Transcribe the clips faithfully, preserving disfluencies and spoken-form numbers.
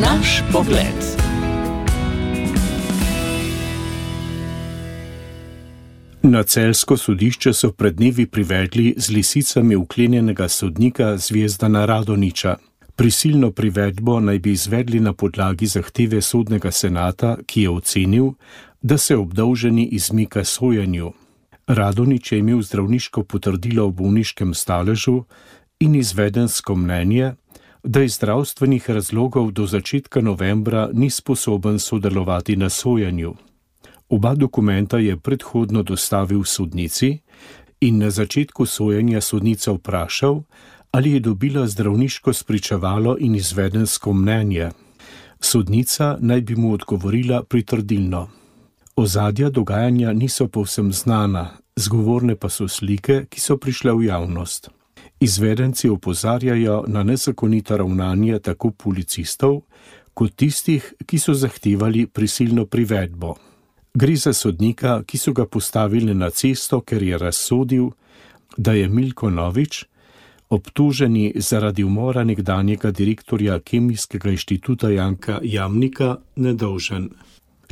Naš pogled. Na celjsko sodišče so pred dnevi privedli z lisicami vklenjenega sodnika Zvezdana Radonjića. Prisilno privedbo naj bi izvedli na podlagi zahteve sodnega senata, ki je ocenil, da se obdolženi izmika sojenju. Radonjić je imel zdravniško potrdilo o bolniškem staležu in izvedensko mnenje, da iz zdravstvenih razlogov do začetka novembra ni sposoben sodelovati na sojenju. Oba dokumenta je predhodno dostavil sodnici in na začetku sojenja sodnica vprašal, ali je dobila zdravniško spričevalo in izvedensko mnenje. Sodnica naj bi mu odgovorila pritrdilno. Ozadja dogajanja niso povsem znana, zgovorne pa so slike, ki so prišle v javnost. Izvedenci opozarjajo na nezakonito ravnanje tako policistov, kot tistih, ki so zahtevali prisilno privedbo. Gre za sodnika, ki so ga postavili na cesto, ker je razsodil, da je Milko Novič, obtoženi zaradi umora nekdanjega direktorja Kemijskega inštituta Janka Jamnika, nedolžen.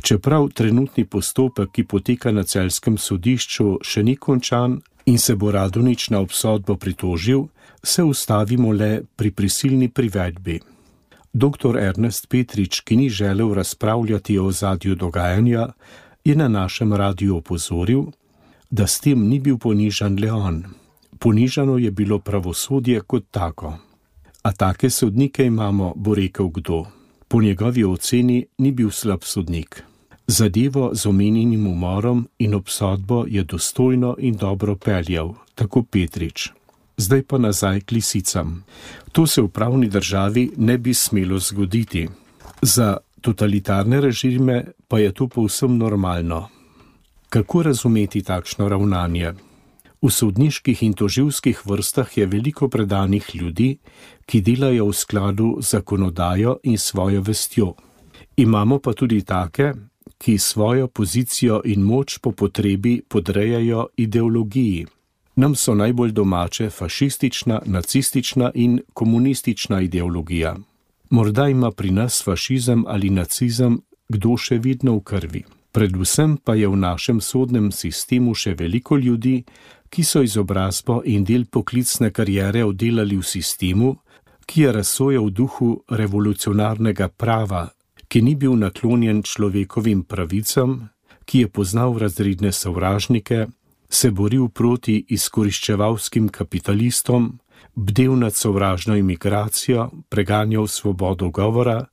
Čeprav trenutni postopek, ki poteka na celjskem sodišču, še ni končan in se bo Radonjić na obsodbo pritožil, se ustavimo le pri prisilni privedbi. Doktor Ernest Petrič, ki ni želel razpravljati o ozadju dogajanja, je na našem radiju opozoril, da s tem ni bil ponižan le on. Ponižano je bilo pravosodje kot tako. A take sodnike imamo, bo rekel kdo. Po njegovi oceni ni bil slab sodnik. Zadevo z omenjenim umorom in obsodbo je dostojno in dobro peljal, tako Petrič. Zdaj pa nazaj k lisicam. To se v pravni državi ne bi smelo zgoditi. Za totalitarne režime pa je to povsem normalno. Kako razumeti takšno ravnanje? V sodniških in tožilskih vrstah je veliko predanih ljudi, ki delajo v skladu z zakonodajo in svojo vestjo. Imamo pa tudi take, ki svojo pozicijo in moč po potrebi podrejajo ideologiji. Nam so najbolj domače fašistična, nacistična in komunistična ideologija. Morda ima pri nas fašizem ali nacizem kdo še vidno v krvi. Predvsem pa je v našem sodnem sistemu še veliko ljudi, ki so izobrazbo in del poklicne kariere oddelali v sistemu, ki je razsojal v duhu revolucionarnega prava, ki ni bil naklonjen človekovim pravicam, ki je poznal razredne sovražnike, se boril proti izkoriščevalskim kapitalistom, bdel nad sovražno imigracijo, preganjal svobodo govora,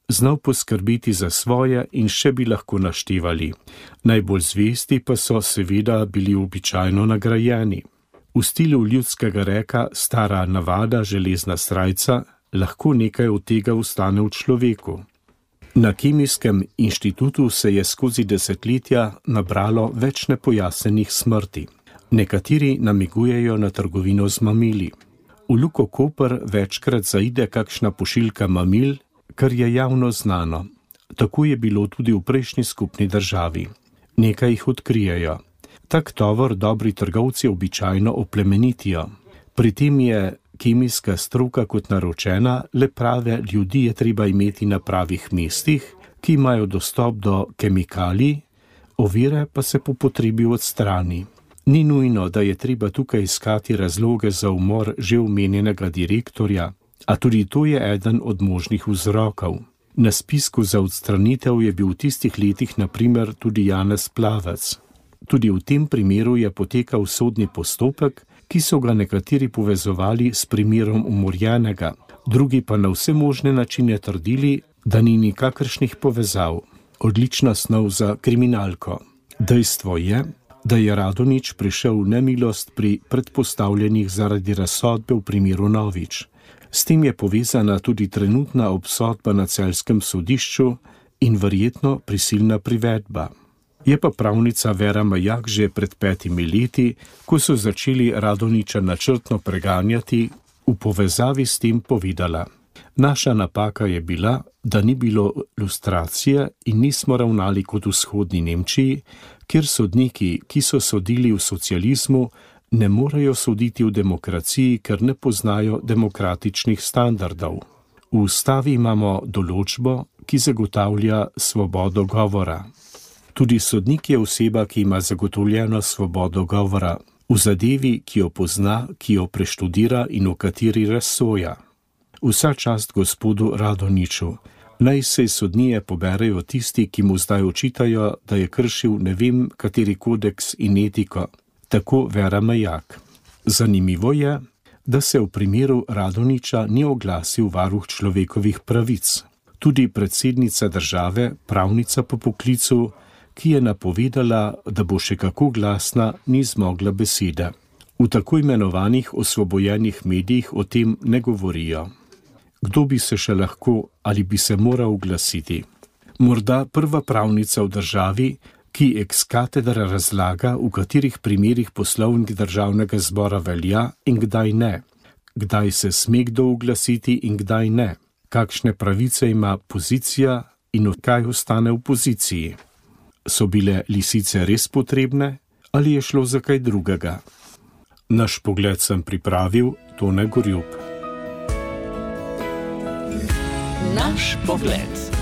znal poskrbeti za svoje in še bi lahko naštevali. Najbolj zvesti pa so seveda bili običajno nagrajeni. V stilu ljudskega reka stara navada železna srajca, lahko nekaj od tega ostane v človeku. Na Kemijskem inštitutu se je skozi desetletja nabralo več nepojasnenih smrti. Nekateri namigujejo na trgovino z mamili. V Luko Koper večkrat zaide kakšna pošiljka mamil, kar je javno znano. Tako je bilo tudi v prejšnji skupni državi. Nekaj jih odkrijejo. Tak tovor dobri trgovci običajno oplemenitijo. Pri tem je kemijska stroka kot naročena, le prave ljudi je treba imeti na pravih mestih, ki imajo dostop do kemikalij, ovire pa se po potrebi odstrani. Ni nujno, da je treba tukaj iskati razloge za umor že omenjenega direktorja, a tudi to je eden od možnih vzrokov. Na spisku za odstranitev je bil v tistih letih na primer tudi Janez Plavec. Tudi v tem primeru je potekal sodni postopek, ki so ga nekateri povezovali s primerom umorjenega, drugi pa na vse možne načine trdili, da ni nikakršnih povezav. Odlična snov za kriminalko. Dejstvo je, da je Radonjić prišel v nemilost pri predpostavljenih zaradi razsodbe v primeru Novič. S tem je povezana tudi trenutna obsodba na celjskem sodišču in verjetno prisilna privedba. Je pa pravnica Vera Majak že pred petimi leti, ko so začeli Radonjića načrtno preganjati, v povezavi s tem povedala: naša napaka je bila, da ni bilo lustracije in nismo ravnali kot v vzhodni Nemčiji, kjer sodniki, ki so sodili v socializmu, ne morejo soditi v demokraciji, ker ne poznajo demokratičnih standardov. V ustavi imamo določbo, ki zagotavlja svobodo govora. Tudi sodnik je oseba, ki ima zagotovljeno svobodo govora v zadevi, ki jo pozna, ki jo preštudira in v kateri razsoja. Vsa čast gospodu Radonjiću. Naj se iz sodnije poberejo tisti, ki mu zdaj očitajo, da je kršil ne vem kateri kodeks in etiko. Tako Vera Majak. Zanimivo je, da se v primeru Radonjića ni oglasil varuh človekovih pravic. Tudi predsednica države, pravnica po poklicu, ki je napovedala, da bo še kako glasna, ni zmogla besede. V tako imenovanih osvobojenih medijih o tem ne govorijo. Kdo bi se še lahko ali bi se moral oglasiti? Morda prva pravnica v državi, ki ex katedra razlaga, v katerih primerih poslovnik državnega zbora velja in kdaj ne, kdaj se sme kdo oglasiti in kdaj ne, kakšne pravice ima pozicija in od kaj ostane v poziciji. So bile lisice res potrebne ali je šlo za kaj drugega? Naš pogled sem pripravil Tone Gorjup. Naš pogled.